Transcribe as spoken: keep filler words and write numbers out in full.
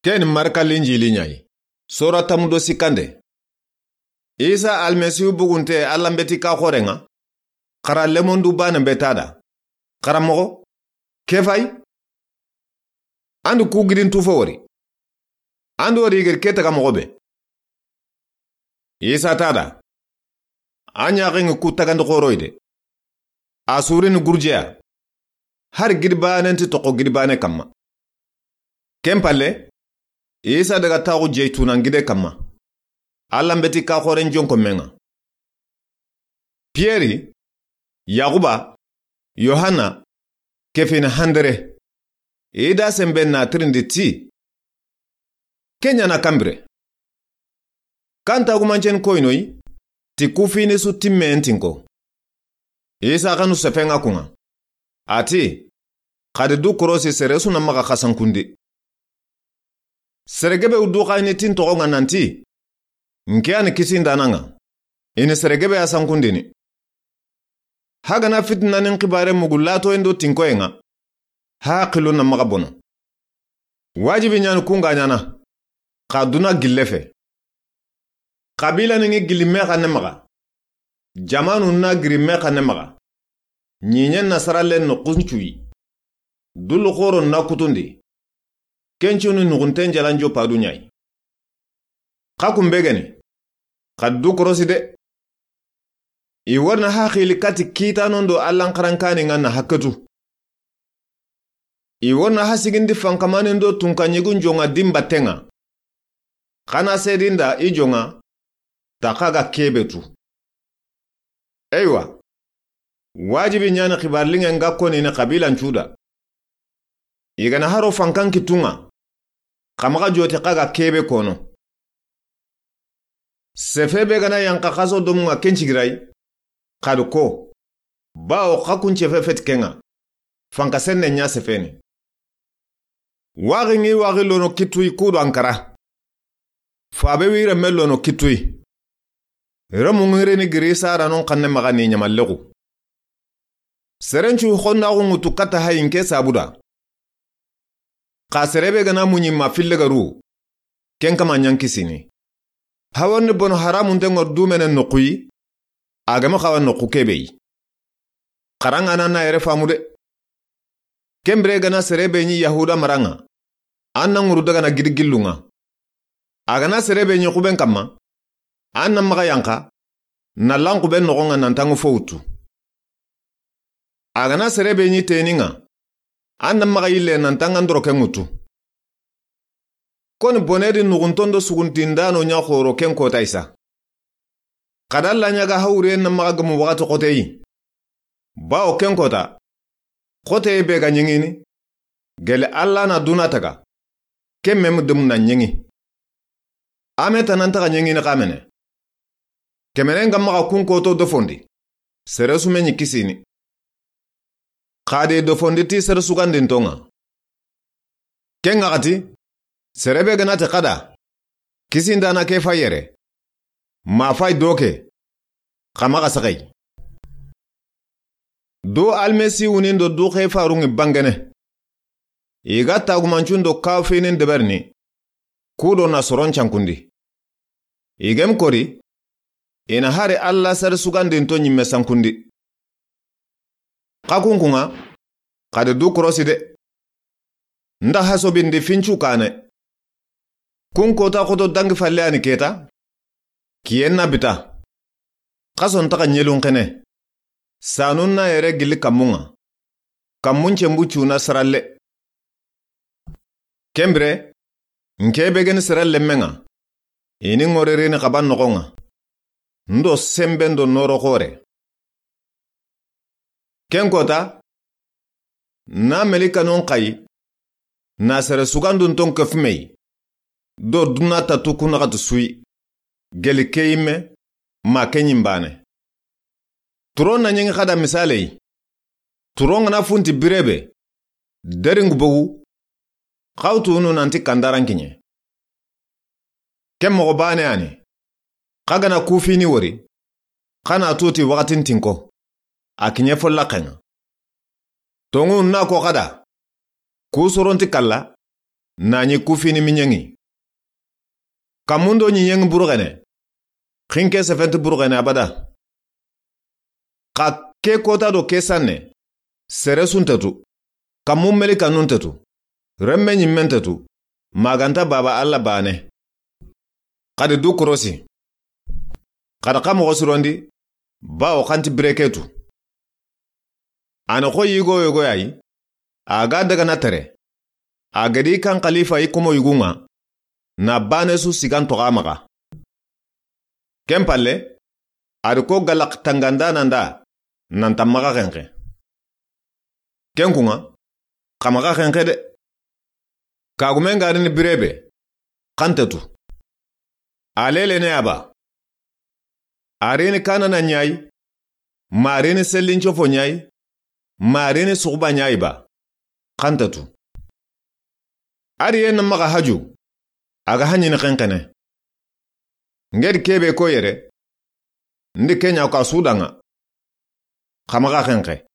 Ken ni Marka Linjili ɲa yi. Sora tanmu do sikkande. Isa Almasihu bugunte Alla n beti ka xoren ŋa. Xara lemondu baane be ta da. Xaranmoxo, ke fay? An do ku gidin tu fo wori. An do wori gedi ke taga moxo be. Isa ta da. A ɲaxen ŋa ku tagandi xoroy de. A surini gurjeya. Hari gidi baane nti toxo gidi baane kanma. Ken palle, Isa daga taxu Jeytunan gide kanma. Alla n beti ka xoren jonko men ŋa. Piyeri, Yaxuba, Yohanna, ke fini Handere. I da senbe na tirindi ti: Ke ɲa na kanbire. Kan tagumancen koynoyi ti ku fini su timmen tinko. Isa xanu sefen ŋa kun ŋa. A ti: Xadi du korosi sere su na maxa xasankundi. Sere gebe wu du xayini tin toxo ŋa nanti: N ke ya ni kisindaana ŋa. I ni sere gebe ya sankundini. Hagana fitina ni n xibare mugu latoyen do tinkoyen ŋa, ha haqilu na maxa bono. Wajibi ɲa ni kun ga ɲaana, xa duna gille fe. Xabila ni ŋi gilli me xanne maxa. Jamanu na giri me xanne maxa. Ɲiɲen nasara len no kuncuyi. Dullu xoro na kutundi. Kencuni nuxunten jalanjo padu ɲa yi. Xa kun be geni, xa du korosi de. I wori na haqili kati kiitanon do Allan xarankani ŋa na haketu. I wori na hasigindi fankamanin do tunkaɲigun joŋa dimbatten ŋa. Xana sedinda i joŋa, ta xa ga kebe tu. Eywa, wajibi ɲa ni xibarilinŋen ga konini xabilan cuda. I gana haro fankan kittun ŋa, xa maxa joti xa ga kebe kono. Sefe be gana yanqa xaso domun ŋa ken cigiray, xadi ko, bawo xa kun cefe feti ken ŋa, fanka senne ɲa sefeni. Waxi ŋi waxi lono kittuyi kudo Ankara. Fabe wi remme lono kittuyi. Remu ŋirini giri saranon xanne maxa ni ɲamallexu. Serencu xonnaxu ŋutu katta hayi n ke sabuda. Xa serebe gana muɲi ma fille garu, ken kama ɲankisini. Hawarni bono haramunten ŋa dumene noxuyi, a gama xawa noxu kebeyi. Xarangana na yere famu de. Kenbire gana serebe ɲi Yahuda maranŋa, an na ŋuru dagana gidi gillun ŋa. A gana serebe ɲi xuben kanma, an na maxa yanqa, na lan xuben noxon ŋa nan tanŋu fo wutu. A gana serebe ɲi tenin ŋa, an na maxa yille nan tanŋa ndoro ken ŋutu. Koni bonedi nuxunton do suguntindano ɲa xoro ken kota isa. Xada Alla ɲaga hawuriyen na maxa gamu waxati xoteyi. Bawo ken kota, xoteye be ga ɲeŋini, gele Alla na duna taga, ken memu demu na ɲeŋi. Ame tanantaxa ɲeŋini xamene. Kemenen ga maxa kun koto dofondi, sere su me ɲi kisini. Xadi dofondi ti sere sugandinton ŋa. Ken ŋaxati, serebe gana ti xada, kisindana ke fa yere, ma fay doke, xa maxa saxay. Do Almasiwunin do du xe farunŋi bangene. I ga tagumancun do kafinin deberini, kudo na soron cankundi. I gem kori, i na hari Alla sere sugandinto ɲimme sankundi. Xa kunkunŋa, xadi du korosi de. Nda hasobindi fincu kane. Kun kota xoto dangi falle ani keta. Kiyen na bita. Xason taxa ɲelun xene. Sanun na yere gilli kammun ŋa. Kammun cembu cuna saralle. Kenbire, n ke be geni sere lemmen ŋa, i ni ŋorerini xaban noxon ŋa, ndo senben do noro xore. Ken kota, na melikanon xayi, na sere sugandunton kefumeyi, do duna tatu kunaxatu suyi, geli ke yimme, ma ke ɲimbane. Turon na ɲeŋi xada misaleyi. Turon ŋana funti birebe, deringu bogu, xawtunu nanti kandaran kiɲe. Ken moxo bane ani, xa gana kufini wori, xa na tuti waxatin tinko, a kiɲe fo laxen ŋa. Tonŋu na ko xada, ku soronti kalla, na ɲi kufini miɲeŋi. Kammun do ɲiɲeŋi buruxene, xinke sefenti buruxene abada. Xa ke kota do ke sanne, sere su nta tu, kammu melikanu nta tu, remme ɲimme nta tu, ma ga nta Baaba Alla baane. Xadi du korosi. Xadi xa moxo sirondi, bawo xa nti bire ke tu. A na xo yigo yogo ya yi, a ga daga na tere. A ga di kan xalifa yi komo yugu ŋa, na baane su sigan toxo a maxa. Ken palle, a di ko galax tanganda na nda, nan ta maxa xenxe. Ken kuŋa, xa maxa xenxe de. Kagumen ga rini bire be, xa nta tu. A lelene ya ba. A rini kanana ɲa yi, ma a rini sellincofo ɲa yi, ma a rini suxuba ɲa yi ba, xa nta tu. A ri ye na maxa haju, a ga haɲini xenxene. Ŋedi kebe ko yere, ndi ke ɲa ko a su daŋa. Xa maxa xenxe.